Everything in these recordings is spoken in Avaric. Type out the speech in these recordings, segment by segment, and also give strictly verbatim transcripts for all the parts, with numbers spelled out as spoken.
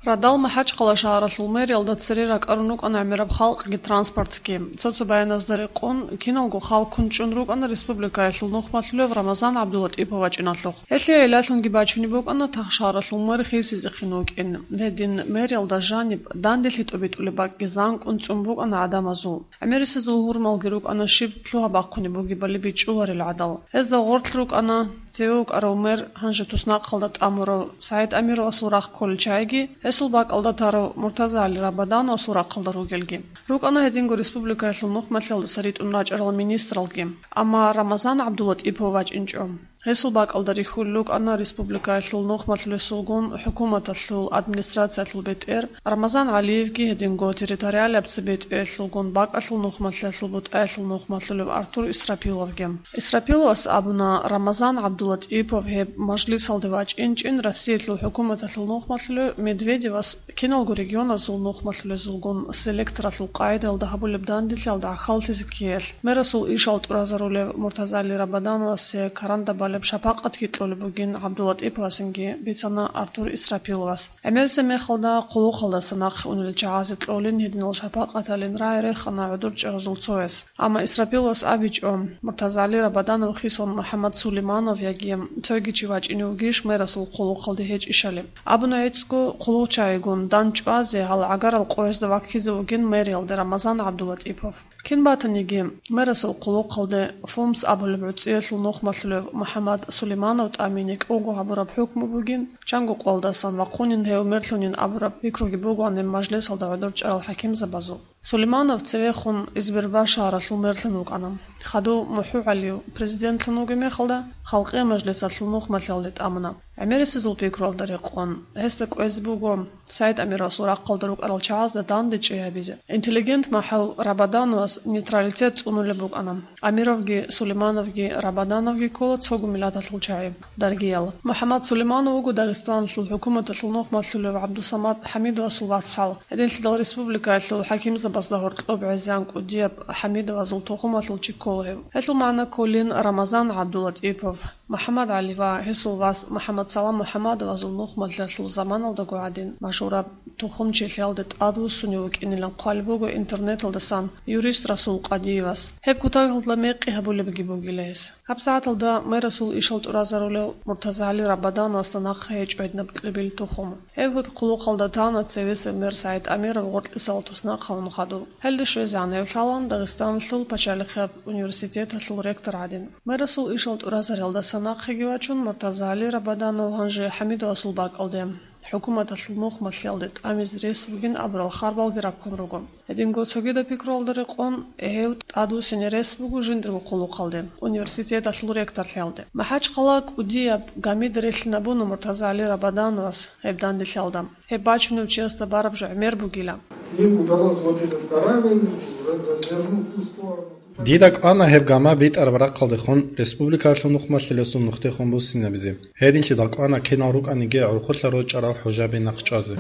Радал МахӀачхъала шагьаралъул мэриялда цере ракӀарун рукӀана гӀемераб халкъги транспортги. Цо-цо баяназда рекъон, киналго хал кунчӀун рукӀана республикаялъул нухмалъулев Рамазан ГӀабдулатӀипов вачӀиналъухъ. Гьелъие гӀиллалъунги бачунеб букӀана тахшагьаралъул мэр хисизехъин вукӀин. Гьедин мэриялда жаниб данделъи тӀобитӀулеб бакӀги занкӀун цӀун букӀана гӀадамазул. ГӀемерисезул гьурмалги рукӀана щиб лъугьа-бахъунеб бугебали бичӀчӀуларел гӀадал. Гьезда гъорлъ рукӀана цеве вукӀарав мэр, гьанже туснахъалда тӀамурав СагӀид Амировасул рахъ кколел чагӀиги, гьесул бакӀалда тарав МуртазагӀали Рабадановасул рахъалда ругелги. РукӀана гьединго республикаялъул нухмалъиялдаса ритӀун рачӀарал министралги. Амма Рамазан ГӀабдулатӀипов вачӀинчӀо. Гьесул бакӀалда рихьулел рукӀана республикаялъул нухмалъулесулгун хӀукуматалъул администрациялъул бетӀер Рамазан ГӀалиевги, гьединго территориалияб цебетӀералъулгун бакӀалъул нухмалъиялъул бутӀаялъул нухмалъулев Артур Исрапиловги. Исрапиловас абуна, Рамазан ГӀабдулатӀипов гьеб мажлисалде вачӀинчӀин Россиялъул хӀукуматалъул нухмалъулев Медведевас киналго регионазул нухмалъулезулгун селекторалъул къагӀидаялда гьабулеб данделъиялда гӀахьаллъизе ккеялъ, мэрасул ишал тӀуразарулев МуртазагӀали Рабадановасе каранда балеб шапакъатги кьолеб бугин ГӀабдулатӀиповасинги, бицана Артур Исрапиловас. ГӀемерисеб мехалда хъулухъалдаса нахъе унел чагӀазе кьолин гьединал шапакъаталин рагӀи рехана гӀодор чӀезазул цояс. Амма Исрапиловас абичӀо, МуртазагӀали Рабаданов хисун МухӀаммад Сулейманов яги цоги чи вачӀине вугищ мэрасул хъулухъалде гьечӀищали. Абуна гьецӀго, хъулухъчагӀигун дандчӀвазе гьал гӀагарал къоязда ваккизе вугин мэриялде Рамазан ГӀабдулатӀипов. Кин батаниги, мэрасул хъулухъалде ФОМС абулеб гӀуцӀиялъул нухмалъулев МухӀаммад Сулейманов тӀамине кӀуго гьабураб хӀукму бугин, чанго къоялдасан вахъунин гьев мерлъунин абураб пикруги бугоан гьеб мажлисалда гӀодор чӀарал хӀакимзабазул. Сулейманов цевехун Избербаш шагьаралъул мерлъун вукӀана. Хадув МухӀугӀалиев президентлъун вугеб мехалда, Халкъиял мажлисалъул нухмалъиялде тӀамуна. ГӀемерисезул пикруялда рекъон, гьесда кӀвезе буго СагӀид Амировасул рахъалда рукӀарал чагӀазда дандечӀей гьабизе. Интеллигент МухӀаммад Рабадановас нейтралитет цӀунулеб букӀана. Амировги, Сулеймановги, Рабадановги ккола цого миллаталъул чагӀи. Даргиял. МухӀаммад Сулейманов вуго Дагъистаналъул хӀукуматалъул нухмалъулев ГӀабдусамад ХӀамидовасул вацгӀал. Гьединлъидал республикаялъул хӀакимзабазда гьоркьоб гӀезегӀан кӀудияб ХӀамидовазул тухумалъул чи ккола гьев. Гьелъул магӀна кколин Рамазан ГӀабдулатӀипов, МухӀаммад ГӀали ва гьесул вас МухӀаммад Салам МухӀаммадовазул нухмалъиялъул заманалдаго гӀадин машгьураб тухумчилъиялде тӀадвуссунев вукӀинилан хъвалеб буго интернеталдасан юрист Расул Къадиевас. Гьеб кутакалда мекъи гьабулебги бугила гьес. ГьабсагӀаталда мэрасул ишал тӀуразарулев МуртазагӀали Рабадановасда нахъа гьечӀо гьединаб кьибил тухум. Гьев гьеб хъулухъалда тана цевесев мэр СагӀид Амиров гъоркьисал туснахъ гьавун хадув. Гьелде щвезегӀан гьев лъалан Дагъистаналъул пачалихъияб университеталъул ректор гӀадин. Мэрасул ишал тӀуразариялдаса нахъеги вачун, МуртазагӀали Рабаданов гьанже ХӀамидовасул бакӀалде, хӀукуматалъул нухмалъиялде тӀамизе рес бугин абурал харбалги раккун руго. Гьединго цогидаб пикруялда рекъон, гьев тӀадвуссине рес буго жиндирго хъулухъалде, университеталъул ректорлъиялде. МахӀачхъала кӀудияб гамида релълъинабуна МуртазагӀали Рабадановас гьеб данделъиялда. Гьеб бачунев чиясда бараб жо гӀемер бугила. Им удалось вот этот корабль развернуть в ту сторону. Дида кӀвана гьеб гама битӀараб рахъалдехун республикалъул нухмалъулесул нухдехун буссинабизе. Гьединлъидал кӀвана кинал рукӀаниги гӀурхъулъа рочӀарал хӀужаби нахъ чӀвазе.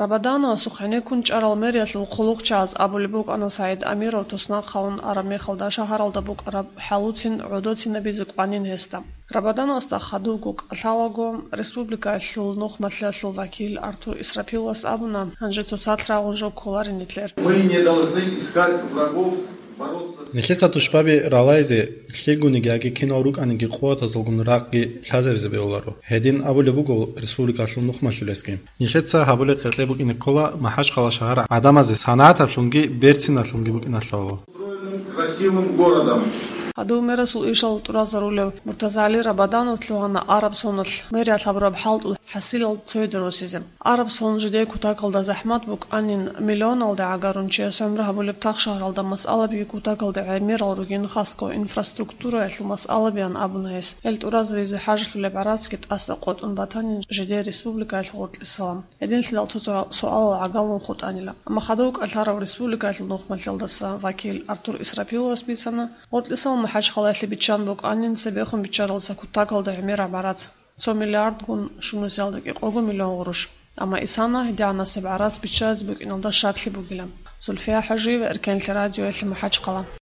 Рабадановасухъ гьенеккун чӀарал мэриялъул хъулухъчагӀаз абулеб букӀана СагӀид Амиров туснахъ гьавун араб мехалда шагьаралда букӀараб хӀалуцин гӀодоцинабизе кӀванин гьесда. Рабадановасда хадубго кӀалъалаго, республикаялъул нухмалъиялъул вакил Артур Исрапиловас абуна, гьанже цоцалъ рагъун жо кколарин нилъер. Мы не должны искать врагов, бороться с Нилъеца тушбаби ралайзе, лъилгуниги яги кинал рукӀаниги къуватазулгун ракъги лъазабизе бегьуларо. Гьедин абулеб буго республикалъул нухмалъулесги. Нилъеца гьабулеб къеркье букӀине ккола МахӀачхъала шагьар гӀадамазе санагӀаталъунги берциналъунги букӀиналъухъ. Красивым городом. Гьадув мерасул ишал тӀуразарулев МуртазагӀали Рабаданов лъугьана араб соналъ мериялъ гьабураб хӀалтӀул хӀасилал цояде росизе. Араб сон жидее кутакалда захӀмат букӀанин, миллионалде гӀагарун чияс гӀумру гьабулеб тахшагьаралда масъалабиги кутакалда гӀемерал ругин, хасго инфраструктураялъул масъалабиян абуна гьес. Гьел тӀуразаризе хӀажалъулеб гӀарацги тӀаса къотӀун батанин жидее республикаялъ гъоркьисалан. Гьединлъидал цо-цо суалал гӀагалун хутӀанила. Амма хадув кӀалъарав республикаялъул нухмалъиялдаса вакил Артур Исрапиловас бицана, гъоркьисал МахӀачхъалаялъе биччан букӀанин цебехун биччаралдаса кутакалда гӀемераб гӀарац, цо миллиардгун щунусиялда кӀикъого миллион гъурущ. Амма исана гьедигӀанасеб гӀарац биччазе букӀиналда щаклъи бугила. Зульфия ХӀажиева, Эркенлъи радиоялъе, МахӀачхъала.